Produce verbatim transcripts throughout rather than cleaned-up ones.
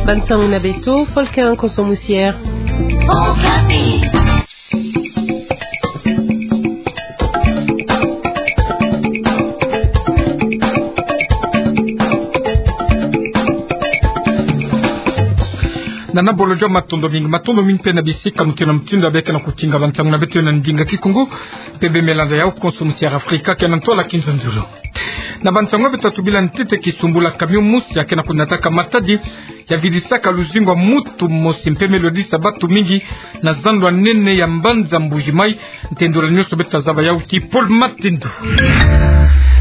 Bansango na beto, Volker Nkoso Musier. Okapi. Nana bolo jwa matondo mingi, matondo mingi mpe na bisika mutindo na mutindo ya beka na kutinga bansango na beto na ndinga Kikongo, mpe bemela nza ya Nkoso Musier Afrika, ke na ntwala kinzonzolo. Na bansango beto tubila ntete kisumbula camion mosi ya ke na kunataka matadi, ya vidisaka luzingu ya mutu mosi mpe me lwedisa batu mingi na zando ya nene ya mbanza Mbuji-Mayi. Ntendolo nyonso beto zaba yawu ti Paul Matendo.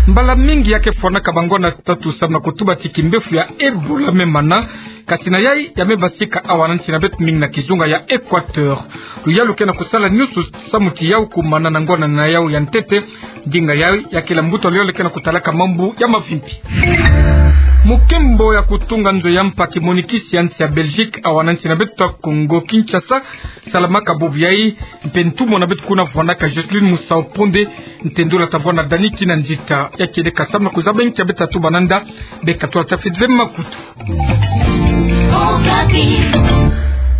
Mbala mingi ya ke fwanaka bangwala tatu samu na kutuba ti kimbefu ya Ebola me mana, kasi na yayi ya me basika awa na nsi na beto mingi na kizunga ya Equateur. Luyalu ke na kusala nyonso samu ti yawu kumana na ngwala na yawu ya ntete. Ndinga yayi ya kele mbuta luyalu ke na kutalaka mambu ya mavimpi. Mukembo ya kutunga nzo ya mpa kimonikisi ya nsi ya Belgique awa na nsi na beto Kongo Kinshasa salamaka bubu yayi, mpe ntumwa na beto kuna vwanaka Jocelyne Musau-Ponde. Ntendolo tavwanda Dani Kinanzita ya kedeka samu na kuzaba nki ya beto tatuba nanda. Beka twala tafidile makutu.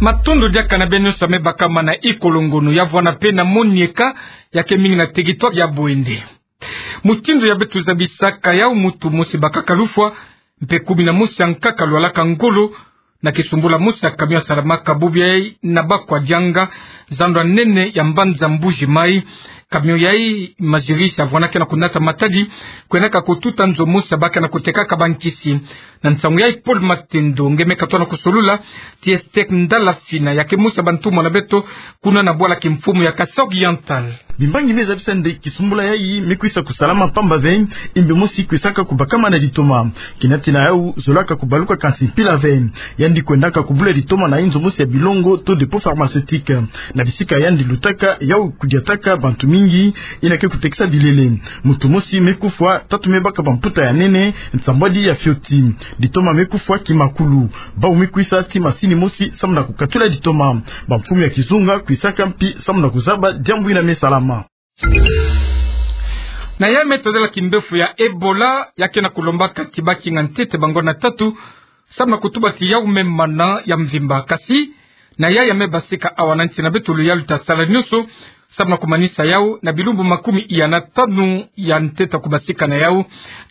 Matondo diaka na beno nyonso ya me bakamana. Ikolongono ya vwanda mpe na monieka ya ke mingi na territoire ya Bouendé. Mutindu ya beto zabisaka yawu, mutu mosi bakaka lufwa, mpe kumi na mosi ya nkaka lwalaka ngolo, na kisumbula mosi ya camion ya salamaka bubu yayi na Bakwa Dianga, zando ya nene ya mbanza Mbuji-Mayi. Camion yayi, mazirise ya vwanda ke na kunata matadi, kwendaka kututa nzo mosi ya baka na kutekaka bankisi. Na nsangu yayi Paul Matendo nge me katuka na kusolola ti Esther Ndalafina, ya ke mosi ya bantumwa na beto kuna na bwala kimfumu ya Kasaï Oriental. Bimbangi me zabisa nde kisumbula yayi me kwisa kusalama mpamba ve, imbe mosi kwisaka kubakama na litoma. Kinatina yawu zolaka kubaluka kansi mpila ve. Yandi kwendaka kubula litoma na inzo mosi ya bilongo to dépôt pharmaceutique. Na bisika yandi lutaka yawu kudiataka bantu mingi, yina ke kutekisa bilele. Mutu mosi me kufwa, tatu me baka bamputa ya nene, nsambwadi ya fioti. Litoma me kufwa kimakulu. Bawu me kwisa ti masini mosi samu na kukatula litoma. Bamfumu ya kizunga kwisaka mpi samu na kuzaba diambu yina me salama. Na yayi me tadila kimbefu ya Ebola, ya ke na kulombaka ti bakinga ntete bangwala tatu samu na kutuba ti yawu me mana ya mvimba. Kasi na yayi ya me basika awa na nsi na beto, luyalu tasala nyonso samu na kumanisa yawu na bilumbu makumi iya na tanu ya ntete kubasika na yawu.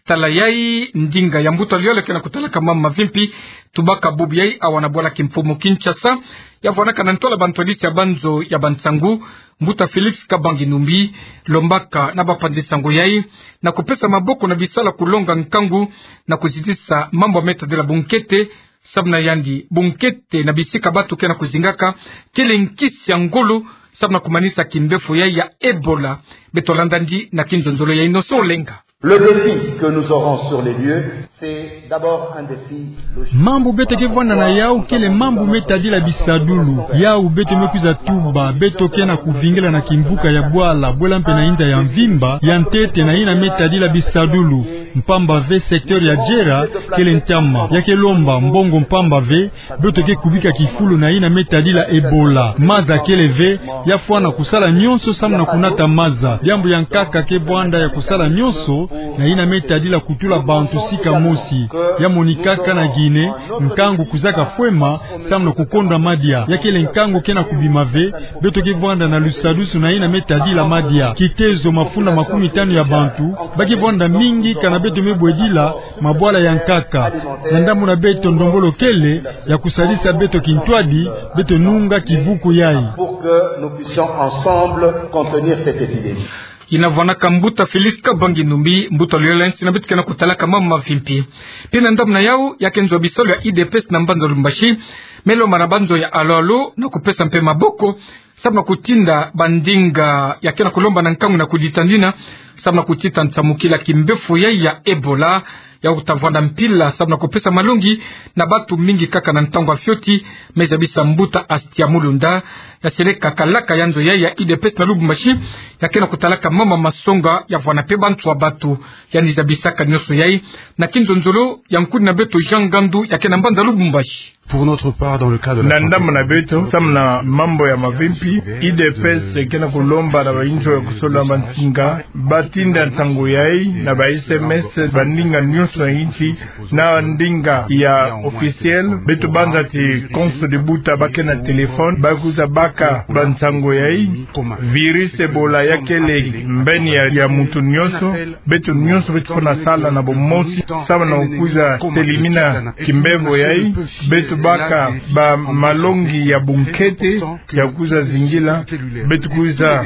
Tala yayi ndinga ya mbuta luyalu ke na kutalaka mambu mavimpi, tubaka bubu yayi awa na bwala kimfumu Kinshasa, ya vwanaka na ntwala bantwadisi ya banzo ya bansangu, mbuta Félix Kabange-Numbi, lombaka na bapanzi nsangu yayi na kupesa maboko na bisala kulonga nkangu na kuzitisa mambu ya me tadila bunkete. Samu na yandi, bunkete na bisika batu ke na kuzingaka kele nkisi ya ngolo samu na kumanisa kimbefu yayi ya Ebola. Beto landa yandi na kinzonzolo ya Innocent Olenga. Le défi que nous aurons sur les lieux, c'est d'abord un défi logistique. Mambu beto ke vwanda na yawu kele mambu me tadila bisadulu. Yawu beto me kwiza tuba, beto ke na kuvingila na kimbuka ya bwala, bwela mpe na inda ya mvimba, ya ntete na yina me tadila bisadulu. Mpamba ve secteur ya Djera kele ntama, ya ke lomba mbongo mpamba ve, beto ke kubika kifulu na yina me tadila Ebola. Maza kele ve, ya fwana kusala nyonso samu na kunata maza. Diambu ya nkaka ke vwanda ya kusala nyonso na yina me tadila kutula bantu sika mosi. Ya monikaka na Guinée, nkangu kwizaka fwema samu na kukonda madia. Ya kele nkangu ke na kubima ve, beto ke vwanda na lusadusu na yina me tadila madia. Kitezo mafunda makumi tanu ya bantu ba ke vwanda mingi kana beto me bwedila mabwala ya nkaka. Na ndambu na beto ndombolo kele ya kusalisa beto kintwadi, beto nunga kivuku yayi. Pour que nous puissions ensemble contenir cette épidémie. Yina vwanaka mbuta Félix Kabange-Numbi, mbuta luyalu ya nsi na beto ke na kutalaka mambu mavimpi. Mpe na ndambu na yawu, ya ke nzo ya bisalu ya U D P S na mbanza Lubumbashi me lomba na banzo ya alo-alo na kupesa mpe maboko samu na kutinda bandinga ya ke na kulomba na nkangu na kuditandina samu na kutita nsamukila kimbefu yayi ya Ebola, ya kuta vwanda mpila samu na kupesa malongi na bantu mingi kaka na ntangu ya fioti. Me zabisa mbuta Astia Mulunda, ya seleka kalaka ya nzo yayi ya U D P S na Lubumbashi, ya ke na kutalaka mambu ma masonga ya vwanda mpe bantu ya batu. Yandi zabisaka nyonso yayi na kinzonzolo ya nkuni na beto Jean Ngandu, ya ke na mbanza Lubumbashi. Pour notre part, dans le cadre de la Na santé, ndambu na beto, samu na mambu ya mavimpi, U D P S ke na kulomba na bainzo ya kusola bansinga, batinda nsangu yai na ba S M S, ba ndinga nyonso ya insi, na ndinga ya officiel. Beto banza ti konso dibuta ba ke na téléphone, ba kwiza baka bansangu yai. Virus Ebola ya kele mbeni ya, ya muntu nyonso. Beto nyonso beto fwana sala na bomosi, samu na kwiza telimina kimbevo yai. Beto baka bamalongi ya bunkete ya kwiza zingila. Beto kwiza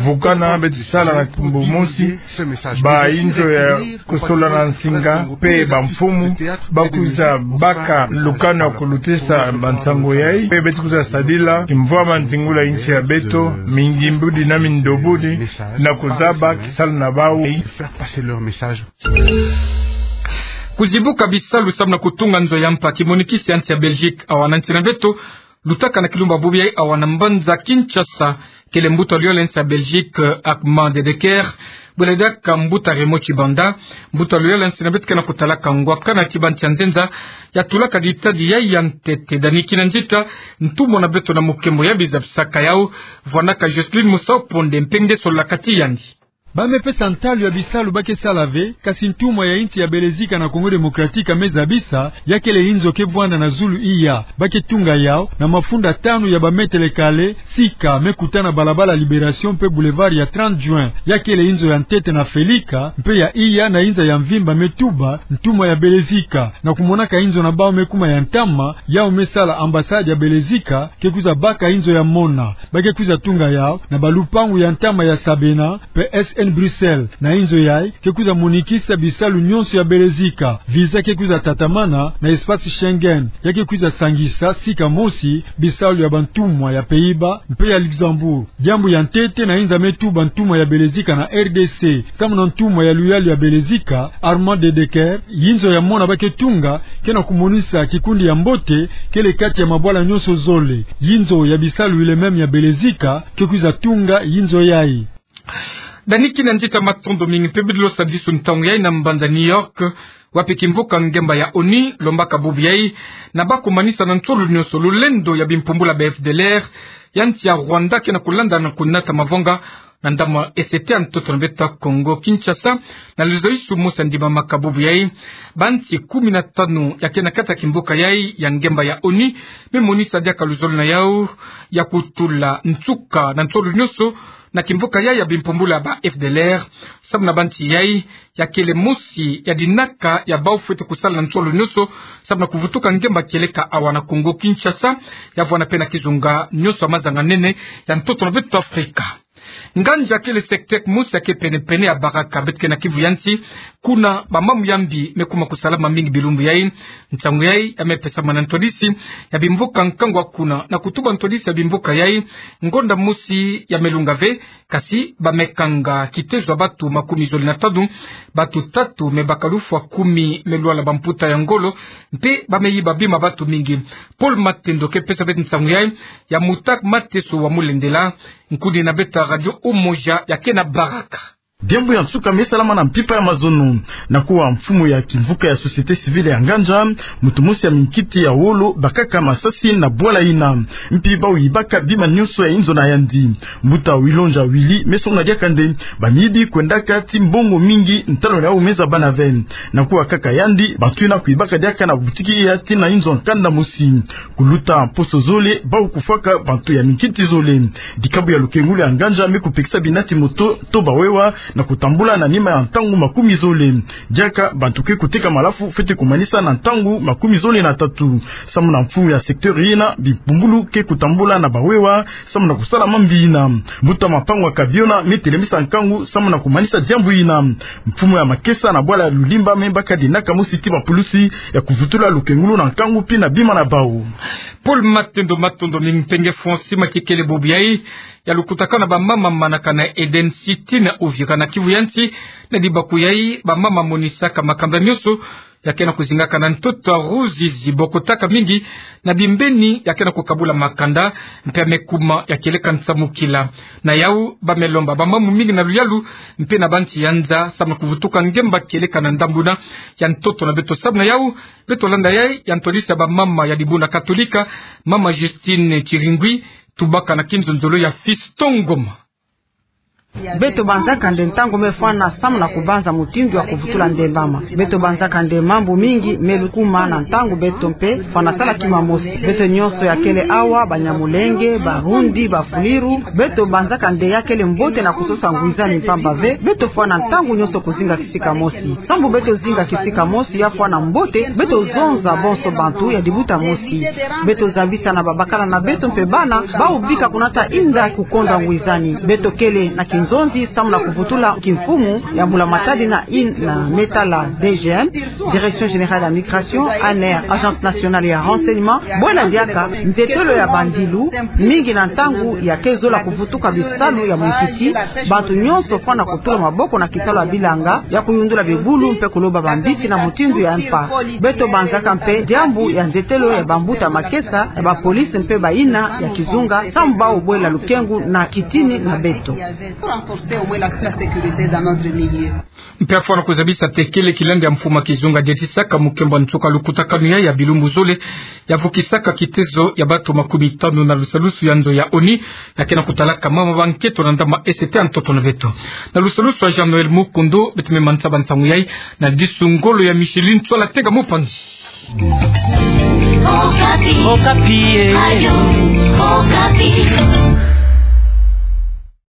vukana, beto sala na kimbo mosi. Bainzo ya kusola na nsinga, pe bamfumu, ba kwiza baka lukanu ya kulutisa bansangu yai, pe beto kwiza sadila kimvwama nzingula insi ya beto, mingimbudi na mindobudi, na kuzaba kisalu na bau. Kuzibuka bisalu samu na kutunga nzo ya mpa, kimonikisi ya nsi ya Belgique awa na nsi na beto lutaka na kilumbu bubu yai awa na mbanza Kinshasa, kele mbuta luyole ya nsi ya Belgique, Armand de Decker, bwela diaka mbuta Raymond Tshibanda. Mbuta luyole ya nsi na beto ke na kutalaka ngwakana ti bansi ya nzenza ya tulaka ditadi yai ya ntete. Dany Kinanzita, ntumwa na beto na mukembo ya bizabisaka yau, vwanaka Jocelyne Musau Ponde mpe nge sololaka ti yandi. Ba me pesa ntalu ya bisalu ba ke sala ve, kasi ntumwa ya insi ya Belezika na Congo Démocratique a me zabisa, ya kele inzo ke vwanda na zulu iya. Ba ke tunga yau na mafunda tanu ya ba metele kale, sika me kuta na balabala Libération mpe boulevard ya trente juin. Ya kele inzo ya ntete na Felika, mpe ya iya na inza ya mvimba me tuba ntumwa ya Belezika. Na kumonaka inzo na bau me kuma ya ntama, yau me sala ambassade ya Belezika ke kwiza baka inzo ya mona. Ba ke kwiza tunga yau na balupangu ya ntama ya Sabena, P S N Bruxelles, na inzo yai ke kwiza monikisa bisalu nyonso ya Belezika. Visa ke kwiza tatamana na espace Schengen. Ya ke kwiza sangisa sika mosi bisalu ya bantumwa ya Pays-Bas mpe ya Luxembourg. Diambu ya ntete na inza me tuba ntumwa ya Belezika na R D C, samu na ntumwa ya luyalu ya Belezika, Armand de Decker, inzo ya mona ba ke tunga ke na kumonisa kikundi ya mbote kele kati ya mabwala nyonso zole. Inzo ya bisalu ile meme ya Belezika ke kwiza tunga inzo yai. Dany Kinanzita, matondo mingi mpe bidi losa disu ntangu yai na mbanza New York, wapi kimvuka ngemba ya ONU lombaka bubu yai na ba kumanisa na nsolo nyonso lulendo ya bimpumbula ba F D L R ya nsi ya Rwanda ke na kulanda na kunata mavonga na ndambu ya ese ya ntoto na beto Congo Kinshasa, na luzayisu mosi ya ndimamaka bubu yai. Bansi kumi na tanu ya ke na kati ya kimvuka yai ya ngemba ya ONU me monisa diaka luzolo na yau ya kutula nsuka na nsolo nyonso na kimvuka yai ya bimpumbula ba F D L R, samu na bansi yai ya kele mosi ya dinaka ya bau fwete kusala na nsolo nyonso, samu na kuvutuka ngemba kieleka awa na Congo Kinshasa, ya vwanda mpe na kizunga nyonso ya mazanga nene ya ntoto na beto Afrika. Nganzi ya kele secteur mosi ya ke pene-pene ya Baraka, beto ke na Kivu ya nsi, kuna ba mamu ya mbi me kuma kusalama mingi bilumbu yai. Nsangu yai ya me pesama na ntwadisi ya bimvuka nkangu kuna, na kutuba ntwadisi ya bimvuka yai, ngonda mosi ya me lunga ve, kasi ba me kanga kitezo ya batu makumi zole na tanu, batu tatu me baka lufwa, kumi me lwala bamputa ya ngolo, mpe ba me yiba bima batu mingi. Paul Matendo ke pesa beto nsangu yai, ya Mutak Mateso wa Mulendela, nkuni na beto ya Radio Umoja ya ke na Baraka. Diambu ya nsuka me salama na mpimpa ya mazono. Na kuwa mfumu ya kimvuka ya société civile ya Nganza, muntu mosi ya minkiti ya wolo bakaka masasi na bwala yina. Mpi bau yibaka bima nyonso ya inzo na yandi. Mbuta Wilonja Willy me songa diaka nde ba miyibi kwendaka ti mbongo mingi, ntalweno yau me zabana ve. Na kuwa kaka yandi, bantu yina kuyibaka diaka na butiki ya tina inzo ya nkanda mosi. Kuluta mposo zole, bau kufwaka bantu ya minkiti zole. Dikabu ya lukengulu ya Nganza me kupekisa bina ti moto to bawewa na kutambula na nima ya ntangu makumi zole. Diaka bantu ke kuteka malafu fwete kumanisa na ntangu makumi zole na tatu. Samu na mfumu ya secteur yina, bimpumbulu ke kutambula na bawewa samu na kusala mambi yina. Mbuta Mapangwa Kabiona me telemisa nkangu samu na kumanisa diambu yina. Mfumu ya makesa na bwala ya Lulimba me baka dinaka mosi ti bapulusi ya kuvutula lukengulu na nkangu mpi na bima na bau. Paul Matendo, matondo mingi. Mpe nge Francis Makikele, bubu yai ya lukutakanu ya bamama manaka na Eden City na Uvira na Kivu ya nsi. Na dibaku yai, bamama monisaka makanda nyonso ya ke na kuzingaka na ntoto ya Ruzizi, bokotaka mingi na bimbeni ya ke na kukabula makanda, mpe ya me kuma ya kieleka nsamu kila. Na yau, ba me lomba ba mamu mingi na luyalu, mpe na bansi ya nza, samu na kuvutuka ngemba kieleka na ndambuna ya ntoto na beto. Samu na yau, beto landa yayi, ya ntwadisi ya ba mama ya dibuna Katolika, mama Justine Chiringui, tubaka na kinzonzolo ya Fiston Ngoma. Beto banzaka nde ntangu me fwana samu na kubanza mutindu ya kuvutula nde mama. Beto banzaka nde mambu mingi me lukuma na ntangu beto mpe fwana sala kima mosi. Beto nyonso ya kele awa, Banyamulenge, Barundi, Bafuliru, beto banzaka nde ya kele mbote na kusosa ngwizani mpamba ve, beto fwana ntangu nyonso kuzinga kisika mosi. Sambu beto zinga kisika mosi ya fwana mbote, beto zonza bonso bantu ya dibuta mosi. Beto zabisa na babakala na beto mpe bana, bawu bika kunata inda kukonda ngwizani. Beto kele na kinzonzi samu na kuvutula kimfumu ya mbula matadi na ina me tala D G M, Direction Générale ya Migration, A N R, Agence Nationale ya Renseignement, bwela diaka nzetelo ya bandilu, mingi na ntangu ya ke zola kuvutuka bisalu ya munkiti, bantu nyonso fwana kutula maboko na kisalu ya bilanga, ya kuyundula bibulu mpe kuloba bambisi na mutindu ya mpa. Beto banzaka mpe diambu ya nzetelo ya bambuta makesa, ya bapolisi mpe bayina ya kizunga, samu bawu bwela lukengu na kitini na beto. Mpe ya fwana kuzabisa tekele kilandi ya mfumu ya kizunga, diatisaka mukembo nsuka lukutakanu yayi ya bilumbu zole, ya vukisaka kitezo ya bato makumi tanu na lusalusu ya nzo ya ONU, ya ke na kutalaka mama ba nketo na ndama esete ya ntoto na beto. Na lusalusu ya Jean-Noël Mukundu, beto me manisa ba nsangu yayi na disu ngolo ya Micheline Tswala Tenga Mupanzi. Okapi. Okapi, eh. Radio Okapi.